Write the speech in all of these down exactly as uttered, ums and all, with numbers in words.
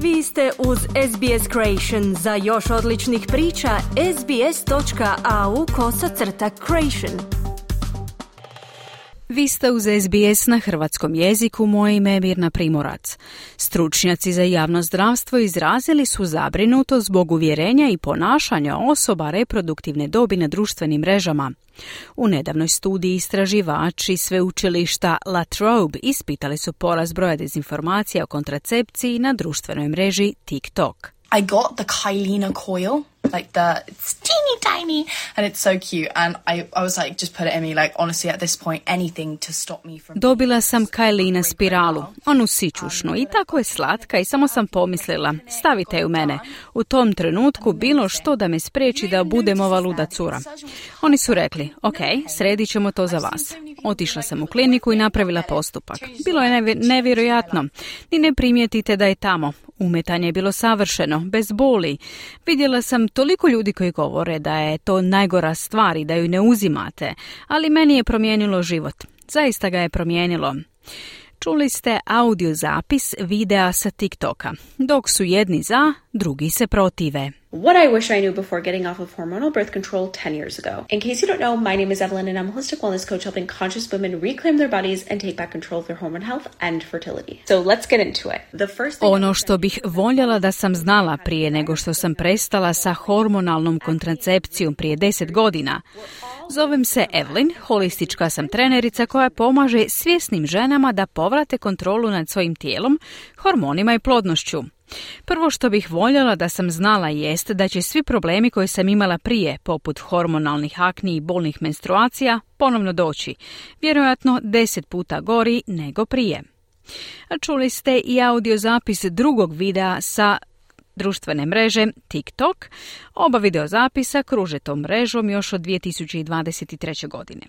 Vi ste uz S B S Creation. Za još odličnih priča, sbs.au kosacrta creation. Vi ste uz S B S na hrvatskom jeziku, moje ime je Mirna Primorac. Stručnjaci za javno zdravstvo izrazili su zabrinutost zbog uvjerenja i ponašanja osoba reproduktivne dobi na društvenim mrežama. U nedavnoj studiji istraživači sveučilišta La Trobe ispitali su porast broja dezinformacija o kontracepciji na društvenoj mreži TikTok. I got the Kylina coil, like the, it's teeny tiny, and it's so cute, and I, I was like, just put it in me, like, honestly, at this point, anything to stop me from... Dobila sam Kylina spiralu, onu sićušnu, i tako je slatka i samo sam pomislila, stavite je u mene. U tom trenutku bilo što da me spriječi da budem ova luda cura. Oni su rekli, ok, sredit ćemo to za vas. Otišla sam u kliniku i napravila postupak. Bilo je nevj- nevjerojatno. Ni ne primijetite da je tamo. Umetanje je bilo savršeno, bez boli. Vidjela sam toliko ljudi koji govore da je to najgora stvar i da ju ne uzimate, ali meni je promijenilo život. Zaista ga je promijenilo. Čuli ste audio zapis videa sa TikToka. Dok su jedni za, drugi se protive. What I wish I knew before getting off of hormonal birth control ten years ago. In case you don't know, my name is Evelyn and I'm a holistic wellness coach helping conscious women reclaim their bodies and take back control of their hormone health and fertility. So let's get into it. The first thing Ono što bih voljela da sam znala prije nego što sam prestala sa hormonalnom kontracepcijom prije deset godina. Zovem se Evelyn, holistička sam trenerica koja pomaže svjesnim ženama da povrate kontrolu nad svojim tijelom, hormonima i plodnošću. Prvo što bih voljela da sam znala jest da će svi problemi koje sam imala prije, poput hormonalnih akni i bolnih menstruacija, ponovno doći. Vjerojatno deset puta gori nego prije. A čuli ste i audio zapis drugog videa sa društvene mreže TikTok. Oba videozapisa kruže tom mrežom još od dvije tisuće dvadeset treće. godine.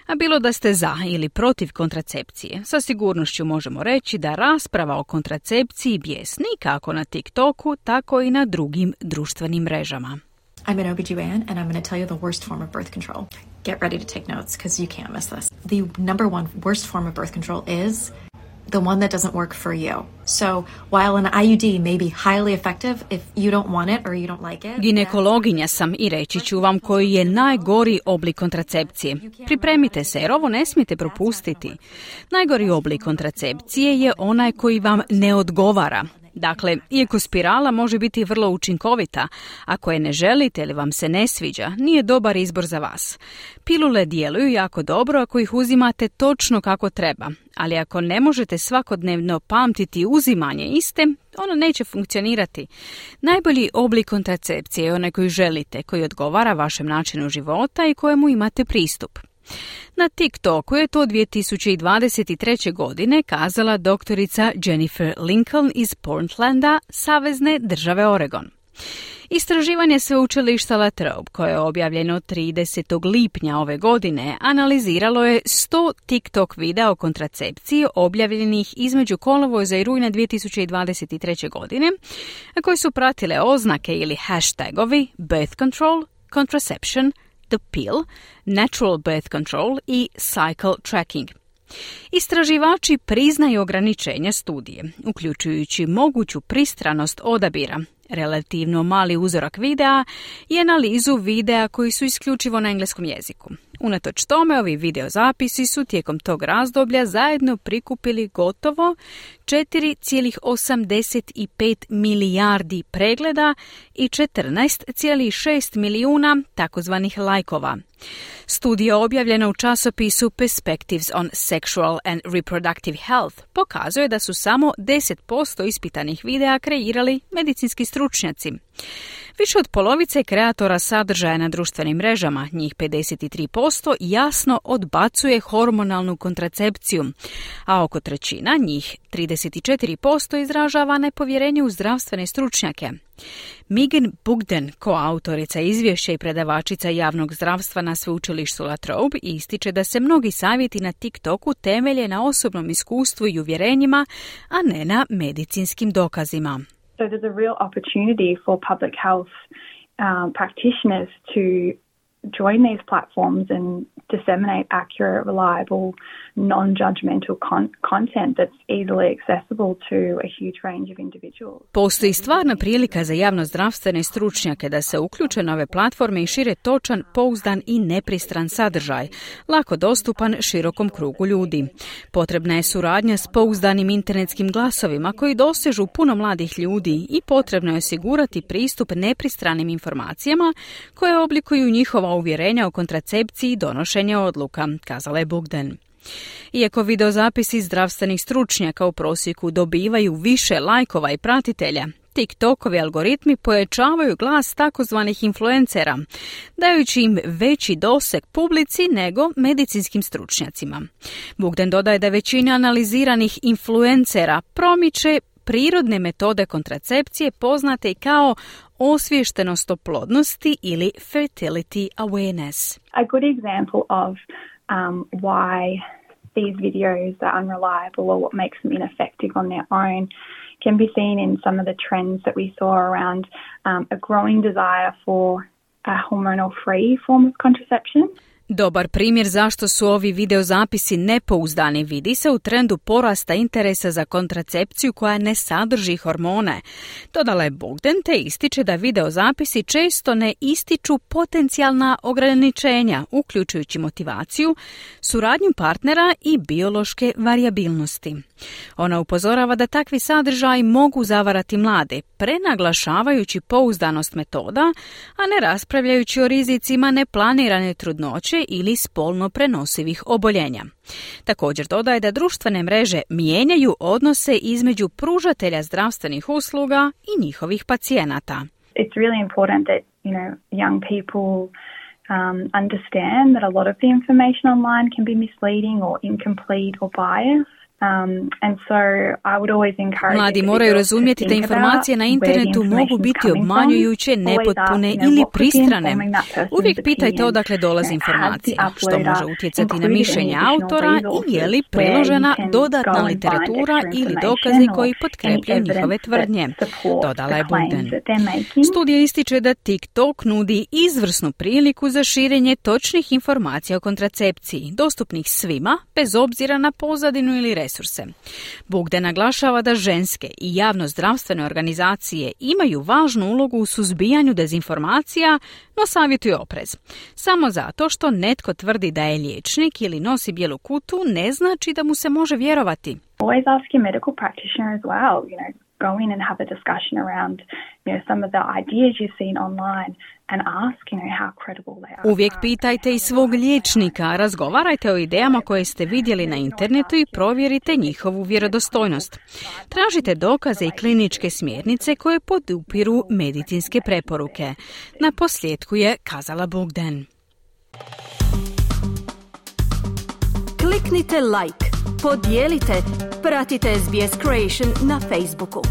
A bilo da ste za ili protiv kontracepcije, sa sigurnošću možemo reći da rasprava o kontracepciji bijesni kako na TikToku, tako i na drugim društvenim mrežama. I'm an O B G Y N and I'm going to tell you the worst form of birth control. Get ready to take notes because you can't miss this. The number one worst form of birth control is the one that doesn't work for you. So while an I U D may be highly effective if you don't want it or you don't like it. Ginekologinja sam i reći ću vam koji je najgori oblik kontracepcije. Pripremite se jer ovo ne smijete propustiti. Najgori oblik kontracepcije je onaj koji vam ne odgovara. Dakle, iako spirala može biti vrlo učinkovita, ako je ne želite ili vam se ne sviđa, nije dobar izbor za vas. Pilule djeluju jako dobro ako ih uzimate točno kako treba, ali ako ne možete svakodnevno pamtiti uzimanje iste, ono neće funkcionirati. Najbolji oblik kontracepcije je onaj koji želite, koji odgovara vašem načinu života i kojemu imate pristup. Na TikToku je to dvije tisuće dvadeset treće. godine kazala doktorica Jennifer Lincoln iz Portlanda, savezne države Oregon. Istraživanje sveučilišta La Trobe, koje je objavljeno tridesetog lipnja ove godine, analiziralo je sto TikTok videa o kontracepciji objavljenih između kolovoza i rujna dvije tisuće dvadeset treće. godine, a koji su pratile oznake ili hashtagovi birth control, contraception, the pill, natural birth control i cycle tracking. Istraživači priznaju ograničenja studije, uključujući moguću pristranost odabira, relativno mali uzorak videa i analizu videa koji su isključivo na engleskom jeziku. Unatoč tome, ovi videozapisi su tijekom tog razdoblja zajedno prikupili gotovo četiri zarez osamdeset pet milijardi pregleda i četrnaest zarez šest milijuna takozvanih lajkova. Studija objavljena u časopisu Perspectives on Sexual and Reproductive Health pokazuje da su samo deset posto ispitanih videa kreirali medicinski stručnjaci. Više od polovice kreatora sadržaja na društvenim mrežama, njih pedeset tri posto, jasno odbacuje hormonalnu kontracepciju, a oko trećina, njih trideset četiri posto, izražava nepovjerenje u zdravstvene stručnjake. Megan Bugden, koautorica izvješća i predavačica javnog zdravstva na sveučilištu La Trobe, ističe da se mnogi savjeti na TikToku temelje na osobnom iskustvu i uvjerenjima, a ne na medicinskim dokazima. So there's a real opportunity for public health um, practitioners to join these platforms and disseminate accurate, reliable, non-judgmental con- content that's easily accessible to a huge range of individuals. Postoji stvarna prilika za javnozdravstvene stručnjake da se uključe na ove platforme i šire točan, pouzdan i nepristran sadržaj, lako dostupan širokom krugu ljudi. Potrebna je suradnja s pouzdanim internetskim glasovima koji dosežu puno mladih ljudi i potrebno je osigurati pristup nepristranim informacijama koje oblikuju njihova uvjerenja o kontracepciji i donošenje odluka, kazala je Bogdan. Iako videozapisi zdravstvenih stručnjaka u prosjeku dobivaju više lajkova i pratitelja, TikTokovi algoritmi pojačavaju glas takozvanih influencera, dajući im veći doseg publici nego medicinskim stručnjacima. Bogdan dodaje da većina analiziranih influencera promiče prirodne metode kontracepcije poznate kao osviještenost o plodnosti ili fertility awareness. A good example of um, why these videos are unreliable or what makes them ineffective on their own can be seen in some of the trends that we saw around um, a growing desire for a hormonal-free form of contraception. Dobar primjer zašto su ovi videozapisi nepouzdani vidi se u trendu porasta interesa za kontracepciju koja ne sadrži hormone. Dodala je Bogdan te ističe da videozapisi često ne ističu potencijalna ograničenja, uključujući motivaciju, suradnju partnera i biološke varijabilnosti. Ona upozorava da takvi sadržaji mogu zavarati mlade, prenaglašavajući pouzdanost metoda, a ne raspravljajući o rizicima neplanirane trudnoće ili spolno prenosivih oboljenja. Također dodaje da društvene mreže mijenjaju odnose između pružatelja zdravstvenih usluga i njihovih pacijenata. It's really important that, you know, young people um, understand that a lot of the information online can be misleading or incomplete or biased. Um, and so I would always encourage Mladi moraju razumjeti da informacije na internetu mogu biti obmanjujuće, nepotpune ili pristrane. Uvijek pitajte odakle dolazi informacija, što može utjecati na mišljenje autora i je li priložena dodatna literatura ili dokazi koji potkrepljuju njihove tvrdnje, dodala je Bogdan. Studija ističe da TikTok nudi izvrsnu priliku za širenje točnih informacija o kontracepciji, dostupnih svima, bez obzira na pozadinu ili resurse. Bogdan naglašava da ženske i javno-zdravstvene organizacije imaju važnu ulogu u suzbijanju dezinformacija, no savjetuje oprez. Samo zato što netko tvrdi da je liječnik ili nosi bijelu kutu ne znači da mu se može vjerovati. Always ask your medical practitioner as well, you know, go in and have a discussion around, you know, some of the ideas you've seen online and ask, you know, how credible they are. Uvijek pitajte i svog liječnika, razgovarajte o idejama koje ste vidjeli na internetu i provjerite njihovu vjerodostojnost. Tražite dokaze i kliničke smjernice koje podupiru medicinske preporuke. Na posljedku je kazala Bogdan. Kliknite like, podijelite, pratite S B S Creation na Facebooku.